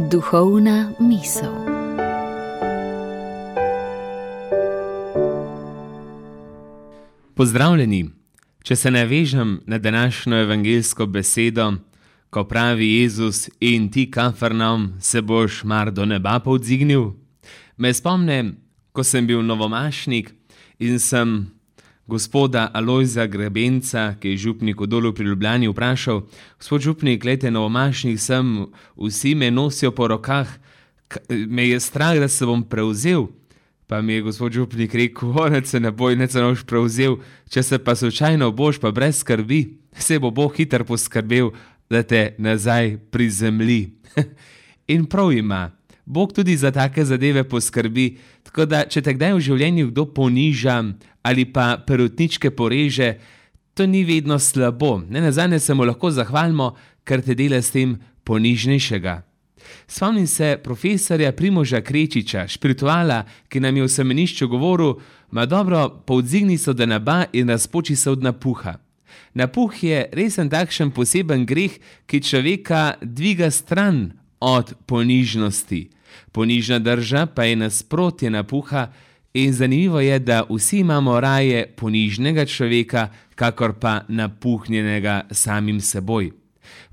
Duhovna misel. Pozdravljeni! Če se navežem na današnjo evangeljsko besedo, ko pravi Jezus: in ti, Kafarnaum, se boš mar do neba povzdignil, me spomne, ko sem bil novomašnik in sem gospoda Alojza Grebenca, ki je župnik v Dolu pri Ljubljani, vprašal: gospod župnik, glejte, novomašnik sem, vsi me nosijo po rokah, me je strah, da se bom prevzel. Pa mi je gospod župnik rekel: nec se ne boj, nec se boš prevzel, če se pa slučajno boš, pa brez skrbi, se bo Bog hitro poskrbel, da te nazaj prizemlji. In prav ima, Bog tudi za take zadeve poskrbi, tako da če te kdaj v življenju kdo poniža ali pa perutničke poreže, to ni vedno slabo. Nenazadnje se mu lahko zahvalimo, ker te dela s tem ponižnejšega. Spomnim se profesorja Primoža Krečiča, špirituala, ki nam je v semenišču govoril: ma dobro, povzdigni se do neba in razpoči se od napuha. Napuh je resen takšen poseben greh, ki človeka dviga stran od ponižnosti. Ponižna drža pa je nasprotje napuha in zanimivo je, da vsi imamo raje ponižnega človeka, kakor pa napuhnjenega samim seboj.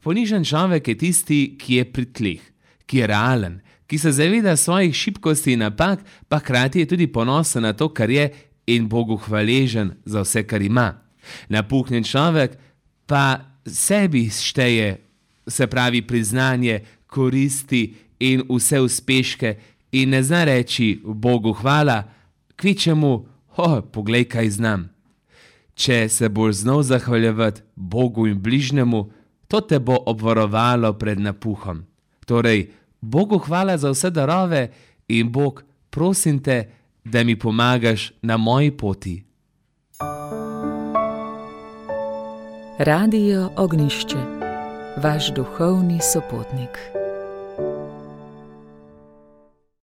Ponižen človek je tisti, ki je pri tleh, ki je realen, ki se zaveda svojih šibkosti in napak, pa hkrati je tudi ponosen na to, kar je, in Bogu hvaležen za vse, kar ima. Napuhnjen človek pa sebi šteje, se pravi priznanje, koristi in vse uspeške, in ne zna reči Bogu hvala, kvečemu: poglej, kaj znam. Če se boš znal zahvaljevati Bogu in bližnjemu, to te bo obvarovalo pred napuhom. Torej, Bogu hvala za vse darove in Bog, prosim te, da mi pomagaš na moji poti. Radio Ognjišče, vaš duhovni sopotnik.